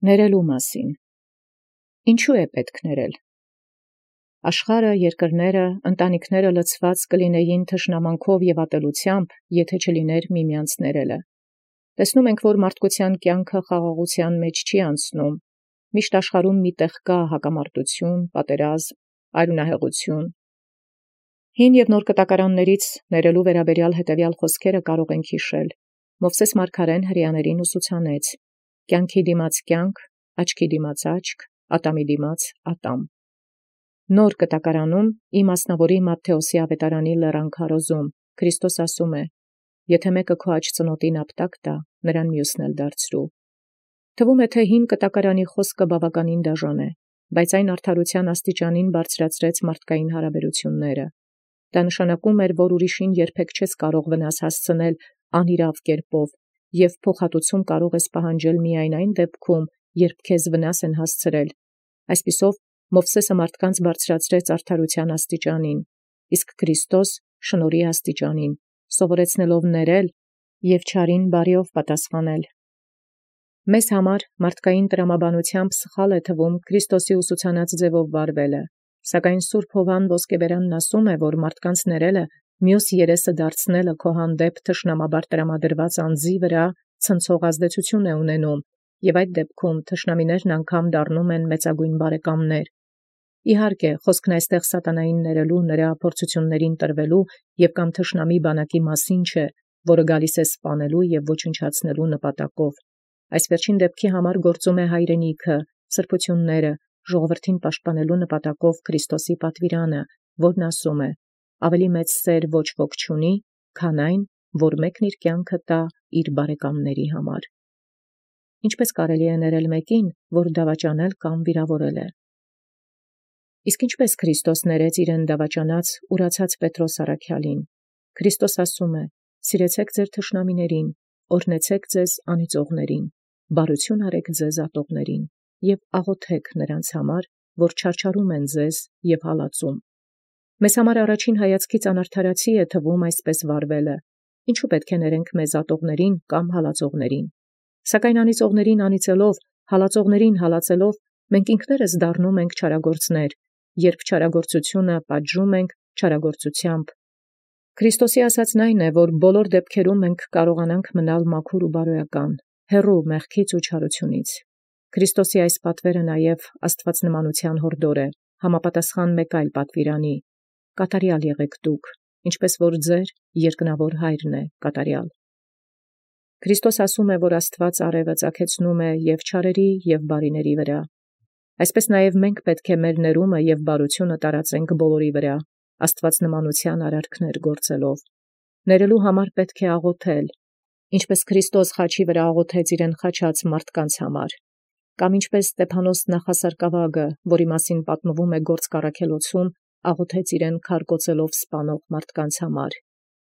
Ներելու մասին։ Ինչու է պետք ներել։ Աշխարհը, երկրները, ընտանիքները լցված կլինեին թշնամանքով և ատելությամբ, եթե չլիներ միմյանց ներելը։ Տեսնում ենք, որ մարդկության կյանքը խաղաղության մեջ չի անցնում։ Միշտ աշխարհում մի տեղ կա հակամարտություն, պատերազմ, արյունահեղություն։ Հին և նոր կտակարաններից ներելու վերաբերյալ հետևյալ խոսքերը կարող ենք հիշել։ Մովսես մարգարեն հրեաներին ուսուցանեց. կյանքի դիմաց կյանք, աչքի դիմաց աչք, ատամի դիմաց ատամ։ Նոր կտակարանում իմասնավորի Մատթեոսի ավետարանի լեռան քարոզում Քրիստոս ասում է. եթե մեկը քո աջ ծնոտին ապտակ տա, նրան մյուսն էլ դարձրու։ Թվում է, թե հին կտակարանի խոսքը բավականին դաժան է, բայց այն արդարության աստիճանին բարձրացրեց մարդկային հարաբերությունները։ Դա նշանակում էր, որ ուրիշին երբեք չես կարող վնաս հասցնել անիրավ կերպով, և փոխհատուցում կարող ես պահանջել միայն այն դեպքում, երբ քեզ վնաս են հասցրել։ Այսպիսով, Մովսեսը մարդկանց բարձրացրեց արդարության աստիճանին, իսկ Քրիստոս շնորհի աստիճանին, սովորեցնելով ներել և չարին բարիով պատասխանել։ Մեզ համար մարդկային տրամաբանությամբ սխալ է թվում Քրիստոսի ուսուցանած ձևով վարվելը, սակայն Սուրբ Հովհան Ոսկեբերանն ասում է, որ մարդկանց ներելը մյուս երեսը դարձնելը քո հանդեպ թշնամաբար տրամադրված անձի վրա ցնցող ազդեցություն է ունենում, և այդ դեպքում թշնամիներն անգամ դառնում են մեծագույն բարեկամներ։ Իհարկե, խոսքն այստեղ սատանային ներելու, նրա փորձություններին տրվելու և կամ թշնամի բանակի մասին չէ, որը գալիս է սպանելու և ոչնչացնելու նպատակով։ Այս վերջին դեպքի համար գործում է հայրենիքը, սրբությունները, ժողովրդին պաշտպանելու նպատակով Քրիստոսի պատվիրանը, որն ասում է. ավելի մեծ սեր ոչ ոք չունի, քան այն, որ մեկն իր կյանքը տա իր բարեկամների համար։ Ինչպես կարելի է ներել մեկին, որ դավաճանել կամ վիրավորել է։ Իսկ ինչպես Քրիստոս ներեց իրեն դավաճանած, ուրացած Պետրոս առաքյալին։ Քրիստոս ասում է. սիրեցեք ձեր թշնամիներին, օրհնեցեք ձեզ անիծողներին, բարություն արեք ձեզ ատողներին, և աղոթեք նրանց համար, որ չարչարում են ձեզ և հալածում։ Մեզ համար առաջին հայացքից անարդարացի է թվում այսպես վարվելը։ Ինչու պետք է ներենք մեզ ատողներին կամ հալածողներին։ Սակայն անիծողներին անիծելով, հալածողներին հալածելով, մենք ինքներս դառնում ենք չարագործներ, երբ չարագործությունը պատժում ենք չարագործությամբ։ Քրիստոսի ասածն այն է, որ բոլոր դեպքերում մենք կարողանանք մնալ մաքուր ու բարոյական, հեռու մեղքից ու չարությունից։ Քրիստոսի այս պատվերը նաև աստվածնմանության հորդոր է, համապատասխան մեկ այլ պատվիրանի. կատարյալ եղեք դուք, ինչպես որ ձեր երկնավոր Հայրն է կատարյալ։ Քրիստոս ասում է, որ Աստված արևը ծագեցնում է և չարերի և բարիների վրա։ Այսպես նաև մենք պետք է մեր ներումը և բարությունը տարածենք բոլորի վրա, աստվածնմանության արարքներ գործելով։ Ներելու համար պետք է աղոթել, ինչպես Քրիստոս խաչի վրա աղոթեց իրեն խաչած մարդկանց համար, կամ ինչպես Ստեփանոս նախասարկավագը, որի մասին պատմվում է Գործք առաքելոցում, աղոթեց իրեն քարկոծելով սպանող մարդկանց համար։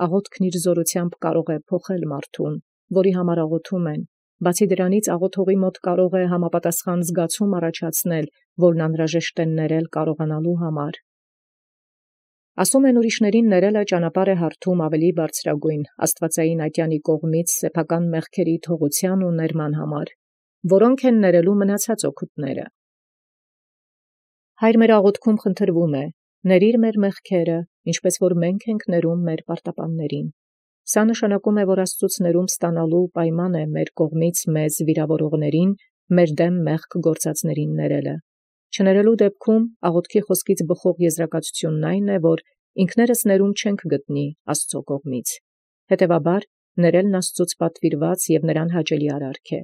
Աղոթքն իր զորությամբ կարող է փոխել մարդուն, որի համար աղոթում են, բացի դրանից աղոթողի մոտ կարող է համապատասխան զգացում առաջացնել, որն անհրաժեշտ է ներել կարողանալու համար։ Ասում են ուրիշներին ներելը ճանապարհ է հարթում ավելի բարձրագույն աստվածային ատյանի կողմից սեփական մեղքերի թողության ու ներման համար, որոնք են ներելու մնացած օգուտները։ Հայր մեր աղոթքում խնդրվում է. ներիր մեր մեղքերը, ինչպես որ մենք ենք ներում մեր պարտապաններին։ Սա նշանակում է, որ Աստծուց ներում ստանալու պայման է մեր կողմից մեզ վիրավորողներին, մեր դեմ մեղք գործածներին ներելը։ Չներելու դեպքում աղոթքի խոսքից բխող եզրակացությունն այն է, որ ինքներս ներում չենք գտնի Աստծո կողմից։ Հետևաբար, ներելն Աստծուց պատվիրված և նրան հաճելի արարք է։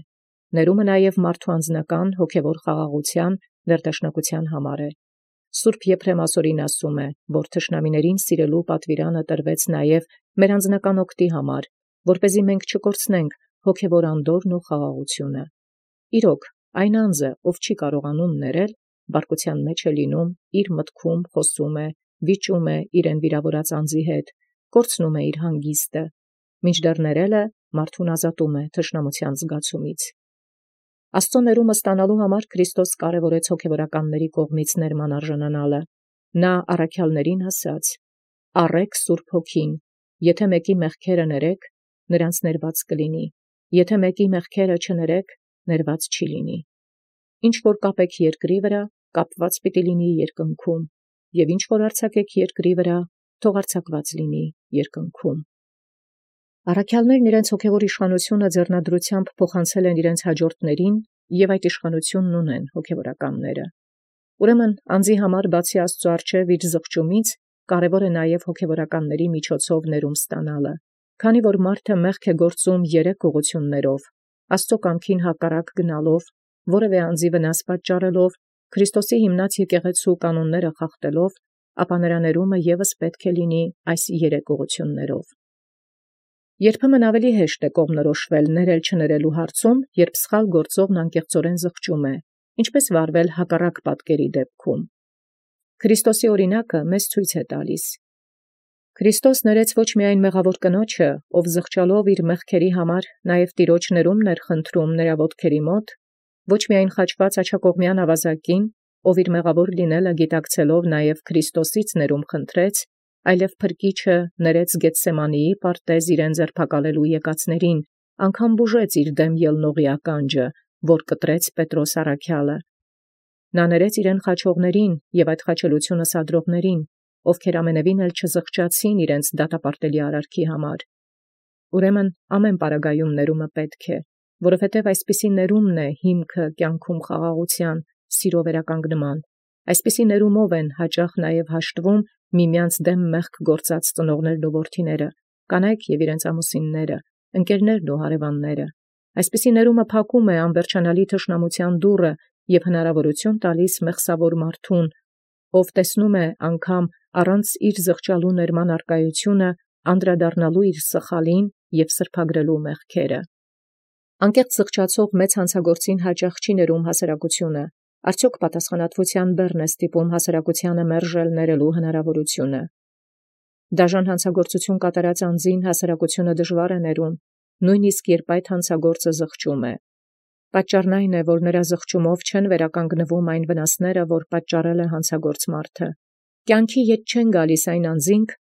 Ներումը նաև մարդու անձնական հոգևոր խաղաղության, վերդաշնակության համար է։ Սուրբ Եփրեմ ասորին ասում է, որ թշնամիներին սիրելու պատվիրանը տրվեց նաև մեր անձնական օգտի համար, որպեսզի մենք չկորցնենք հոգևոր անդորրն ու խաղաղությունը։ Իրոք, այն անձը, ով չի կարողանում ներել, բարկության մեջ է լինում, իր մտքում խոսում է, վիճում է իրեն վիրավորած անձի հետ, կորցնում է իր հանգիստը, մինչդեռ ներելը մարդուն ազատում է թշնամության զգացումից։ Աստծո ներումը ստանալու համար Քրիստոս կարևորեց հոգևորականների կողմից ներման արժանանալը։ Նա առաքյալներին ասաց. «Առեք Սուրբ Հոգին, եթե մեկի մեղքերը ներեք, նրանց ներված կլինի, եթե մեկի մեղքերը չներեք, ներված չի լինի»։ ինչ որ կապեք երկրի վրա, կապված պիտի լինի երկնքում, և ինչ որ արձակեք երկրի վրա, թող արձակված լինի երկնքում։ Առաքյալներն իրենց հոգևոր իշխանությունը ձեռնադրությամբ փոխանցել են իրենց հաջորդներին, և այդ իշխանությունն ունեն հոգևորականները։ Ուրեմն անձի համար բացի Աստծու առջև իր զղջումից, կարևոր է նաև հոգևորականների միջոցով ներում ստանալը, քանի որ մարդը մեղք է գործում երեք ուղղություններով. Աստծո կամքին հակառակ գնալով, որևէ անձի վնաս պատճառելով, Քրիստոսի հիմնած եկեղեցու կանոնները խախտելով, ապա նրա ներումը ևս պետք է լինի այս երեք ուղղություններով։ Երբեմն ավելի հեշտ է կողմնորոշվել ներել չներելու հարցում, երբ սխալ գործողն անկեղծորեն զղջում է, ինչպես վարվել հակառակ պատկերի դեպքում։ Քրիստոսի օրինակը մեզ ցույց է տալիս. Քրիստոս ներեց ոչ միայն մեղավոր կնոջը, ով զղջալով իր մեղքերի համար նաև Տիրոջ ներումն էր խնդրում նրա ոտքերի մոտ, ոչ միայն խաչված աջակողմյան ավազակին, ով իր մեղավոր լինելը գիտակցելով նաև Քրիստոսից ներում խնդրեց, այլև փրկիչը ներեց Գեթսեմանիի պարտեզ իրեն ձերբակալելու եկածներին, անգամ բուժեց իր դեմ ելնողի ականջը, որ կտրեց Պետրոս առաքյալը։ Նա ներեց իրեն խաչողներին և այդ խաչելությունը սադրողներին, ովքեր ամենևին էլ չզղջացին իրենց դատապարտելի արարքի համար։ Ուրեմն ամեն պարագայում ներումը պետք է, որովհետև այսպիսի ներումն է հիմքը կյանքում խաղաղության, սիրո վերականգնման։ Այսպիսի ներումով են հաճախ նաև հաշտվում միմյանց դեմ մեղք գործած ծնողներն ու որդիները, կանայք և իրենց ամուսինները, ընկերներն ու հարևանները։ Այսպիսի ներումը փակում է անվերջանալի թշնամության դուռը և հնարավորություն տալիս մեղսավոր մարդուն, ով տեսնում է անգամ առանց իր զղջալու ներման արկայությունը, անդրադառնալու իր սխալին և սրբագրելու մեղքերը։ Անկեղծ զղջացող մեծ հանցագործին հաճախ չի ներում հասարակությունը, արդյոք պատասխանատվության բեռն է ստիպում հասարակությանը մերժել ներելու հնարավորությունը։ Դաժան հանցագործություն կատարած անձին հասարակությունը դժվար է ներում, նույնիսկ երբ այդ հանցագործը զղջում է։ Պատճառն այն է, որ նրա զղջումով չեն վերականգնվում այն վնասները, որ պատճառել է հանցագործ մարդը։ Կյանքի ետ չեն գալիս այն անձինք,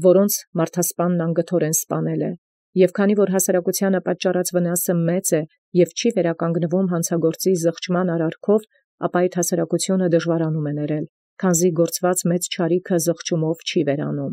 որոնց մարդասպանն անգթորեն սպանել է, և քանի որ հասարակությանը պատճառած վնասը մեծ է և չի վերականգնվում հանցագործի զղջման արարքով, ապա այդ հասարակությունը դժվարանում է ներել, քանզի գործված մեծ չարիքը զղջումով չի վերանում։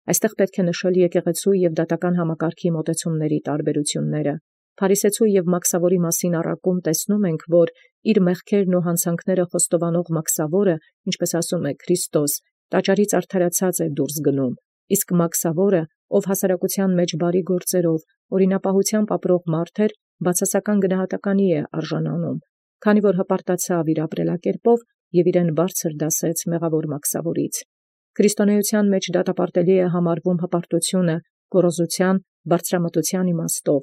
Այստեղ պետք է նշել եկեղեցու և դատական համակարգի մոտեցումների տարբերությունները։ Փարիսեցու և մաքսավորի մասին առակում տեսնում ենք, որ իր մեղքերն ու հանցանքները խոստովանող մաքսավորը, ինչպես ասում է Քրիստոս, տաճարից արդարացած է դուրս գնում, իսկ մաքսավորը, ով հասարակության մեջ բարի գործերով, օրինապահությամբ ապրող մարդ էր, բացասական գնահատականի է արժանանում, քանի որ հպարտացավ իր ապրելակերպով և իրեն բարձր դասեց մեղավոր մաքսավորից։ Քրիստոնեության մեջ դատապարտելի է համարվում հպարտությունը, գոռոզության, բարձրամտության իմաստով,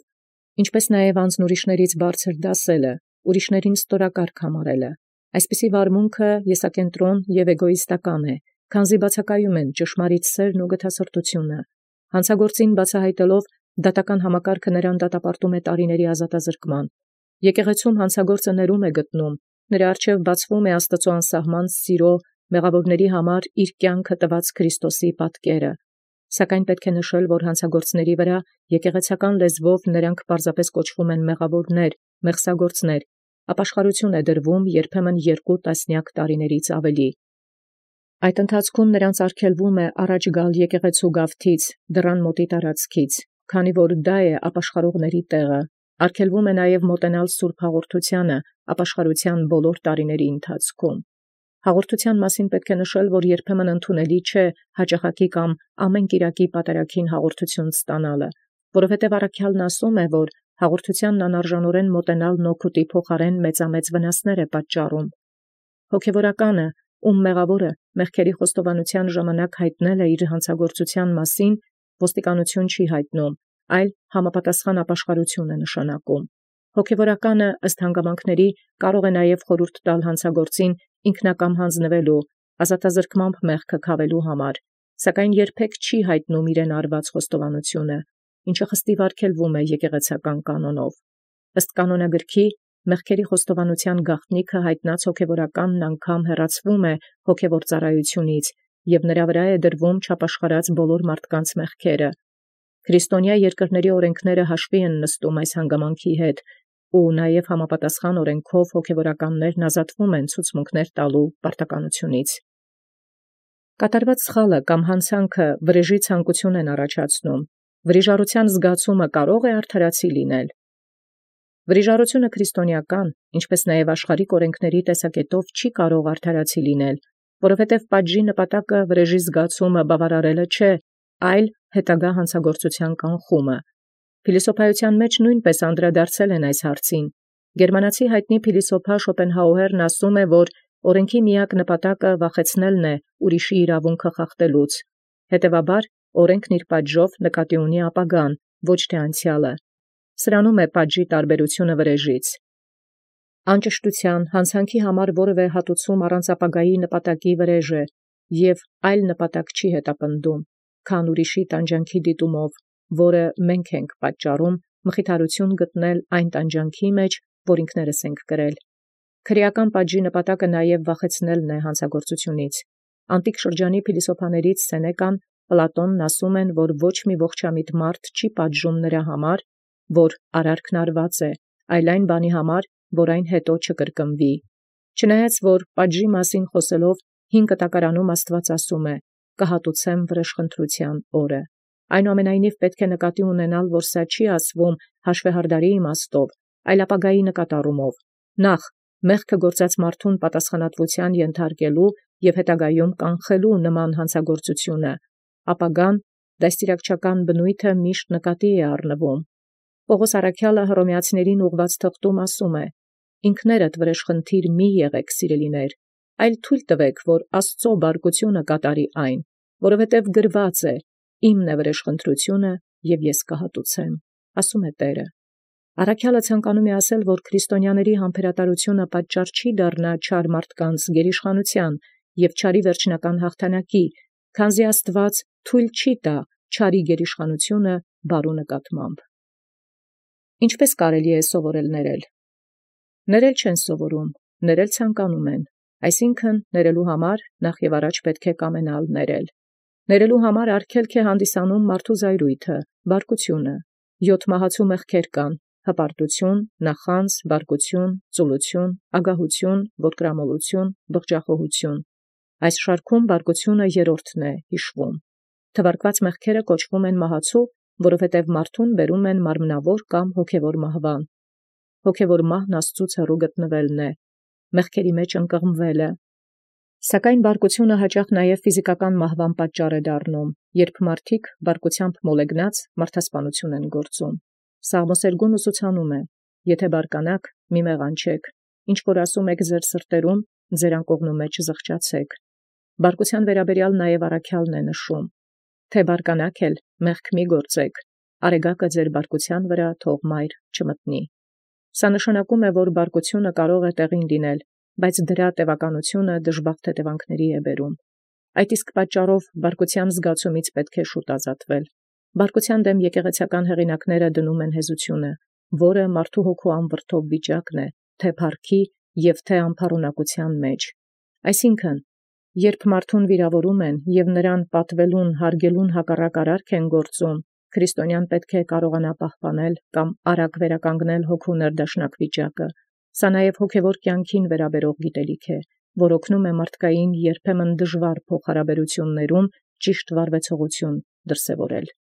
ինչպես նաև անձն ուրիշներից բարձր դասելը, ուրիշներին ստորակարգ համարելը։ Այսպիսի վարմունքը եսակենտրոն և էգոիստական է, քանզի բացակայում են ճշմարիտ սերն ու գթասրտությունը։ Հանցագործին բացահայտելով դատական համակարգը նրան դատապարտում է տարիների ազատազրկման։ Եկեղեցում հանցագործը ներում է գտնում, նրա առջև բացվում է Աստծո անսահման սիրո մեղավորների համար իր կյանքը տված Քրիստոսի պատկերը։ Սակայն պետք է նշել, որ հանցագործների վրա եկեղեցական լեզվով նրանք պարզապես կոչվում են մեղավորներ, մեղսագործներ, ապաշխարություն է դրվում երբեմն 2 տասնյակ տարիներից ավելի։ Այդ ընթացքում նրանց արգելվում է առաջ գալ եկեղեցու գավթից, դռան մոտի տարածքից, քանի որ դա է ապաշխարողների տեղը։ Արգելվում է նաև մոտենալ Սուրբ Հաղորդությանը ապաշխարության բոլոր տարիների ընթացքում։ Հաղորդության մասին պետք է նշել, որ երբեմն ընդունելի չէ հաճախակի կամ ամեն կիրակի պատարագին հաղորդություն ստանալը, որովհետև առաքյալն ասում է, որ հաղորդությանն անարժանորեն մոտենալն օգուտի փոխարեն մեծամեծ վնասներ է պատճառում։ Հոգևորականը, ում մեղավորը մեղքերի խոստովանության ժամանակ հայտնել է իր հանցագործության մասին, ոստիկանություն չի հայտնում, այլ համապատասխան ապաշխարություն է նշանակում։ Հոգևորականը ըստ հանգամանքների կարող է նաև խորհուրդ տալ հանցագործին ինքնակամ հանձնվելու, ազատազրկմամբ մեղքը քավելու համար, սակայն երբեք չի հայտնում իրեն արված խոստովանությունը, ինչը խստիվ արգելվում է եկեղեցական կանոնով։ Ըստ կանոնագրքի մեղքերի խոստովանության գաղտնիքը հայտնած հոգևորականն անգամ հեռացվում է հոգևոր ծառայությունից և նրա վրա է դրվում չապաշխարած բոլոր մարդկանց մեղքերը։ Քրիստոնյա երկրների օրենքները հաշվի են նստում այս հանգամանքի հետ, ու նաև համապատասխան օրենքով հոգևորականներն ազատվում են ցուցմունքներ տալու պարտականությունից։ Կատարված սխալը կամ հանցանքը վրեժի ցանկություն են առաջացնում։ Վրիժառության զգացումը կարող է արդարացի լինել։ Վրիժառությունը քրիստոնեական, ինչպես նաև աշխարհիկ օրենքների տեսակետով չի կարող արդարացի լինել, որովհետև պատժի նպատակը վրեժի զգացումը բավարարելը չէ, այլ հետագա հանցագործության կանխումը։ Փիլիսոփայության մեջ նույնպես անդրադարձել են այս հարցին։ Գերմանացի հայտնի փիլիսոփա Շոպենհաուերն ասում է, որ օրենքի միակ նպատակը վախեցնելն է ուրիշի իրավունքը խախտելուց։ Հետևաբար, օրենքն իր պատժով նկատի ունի ապագան, ոչ թե անցյալը։ Սրանում է պատժի տարբերությունը վրեժից։ Անճշտության, հանցանքի համար որևէ հատուցում առանց ապագայի նպատակի վրեժ է և այլ նպատակ չի հետապնդում, քան ուրիշի տանջանքի դիտումով, որը մենք ենք պատճառում մխիթարություն գտնել այն տանջանքի մեջ, որ ինքներս ենք կրել։ Քրեական պատժի նպատակը նաև վախեցնելն է հանցագործությունից։ Անտիկ շրջանի փիլիսոփաներից Սենեկան, Պլատոնն ասում են, որ ոչ մի ողջամիտ մարդ չի պատժում նրա համար, որ արարքն արված է, այլ այն բանի համար, որ այն հետո չկրկնվի։ Չնայած որ պատժի մասին խոսելով հին կտակարանում Աստված ասում է. «Կհատուցեմ վրեժխնդրության օրը»։ Այնուամենայնիվ պետք է նկատի ունենալ, որ սա չի ասվում հաշվեհարդարի իմաստով, այլ ապագայի նկատառումով։ Նախ մեղքը գործած մարդուն պատասխանատվության ենթարկելու և հետագայում կանխելու նման հանցագործությունը, ապագան դաստիարակչական բնույթը միշտ նկատի է առնվում։ Պողոս առաքյալը Հռոմեացիներին ուղղված թղթում ասում է. «Ինքներդ վրեժխնդիր մի եղեք, սիրելիներ, այլ թույլ տվեք, որ Աստծո բարկությունը կատարի այն, որովհետև գրված է. «Իմն է վրեժխնդրությունը, և ես կհատուցեմ», ասում է Տերը»։ Առաքյալը ցանկանում է ասել, որ քրիստոնյաների համբերատարությունը պատճառ չի դառնա չար մարդկանց գերիշխանության և չարի վերջնական հաղթանակի, քանզի Աստված թույլ չի տա չարի գերիշխանությունը բարու նկատմամբ։ Ինչպե՞ս կարելի է սովորել ներել։ Ներել չեն սովորում, ներել ցանկանում են, այսինքն ներելու համար նախ և առաջ պետք է կամենալ ներել։ Ներելու համար արգելք է հանդիսանում մարդու զայրույթը, բարկությունը։ 7 մահացու մեղքեր կան. հպարտություն, նախանձ, բարկություն, ծուլություն, ագահություն, ոտկրամոլություն, բղջախոհություն։ Այս շարքում բարկությունը երրորդն է հիշվում։ Թվարկված մեղքերը կոչվում են մահացու, որովհետև մարդուն բերում են մարմնավոր կամ հոգևոր մահվան։ Հոգևոր մահն Աստծուց հեռու գտնվելն է, մեղքերի մեջ ընկղմվելը։ Սակայն բարկությունը հաճախ նաև ֆիզիկական մահվան պատճառ է դառնում, երբ մարդիկ բարկությամբ մոլեգնած մարդասպանություն են գործում։ Սաղմոսերգուն ուսուցանում է. «Եթե բարկանաք, մի մեղանչեք, ինչ որ ասում եք ձեր սրտերում, ձեր անկողնու մեջ զղջացեք»։ Բարկության վերաբերյալ նաև առաքյալն է նշում. «Թե բարկանաք էլ, մեղք մի գործեք, արեգակը ձեր բարկության վրա թող մայր չմտնի»։ Սա նշանակում է, որ բարկությունը կարող է տեղին լինել, բայց դրա տևականությունը դժբախտ հետևանքների է բերում։ Այդ իսկ պատճառով բարկության զգացումից պետք է շուտ ազատվել։ Բարկության դեմ եկեղեցական հեղինակները դնում են հեզությունը, որը մարդու հոգու անվրդով վիճակն է, թե փառքի և թե անփառունակության մեջ։ Այսինքն, երբ մարդուն վիրավորում են և նրան պատվելուն, հարգելուն հակառակ արարք են գործում, քրիստոնյան պետք է կարողանա պահպանել կամ արագ վերականգնել հոգու ներդաշնակ վիճակը։ Սա նաև հոգևոր կյանքին վերաբերող գիտելիք է, որ օգնում է մարդկային երբեմն դժվար փոխհարաբերություններում ճիշտ վարվեցողություն դրսևորել։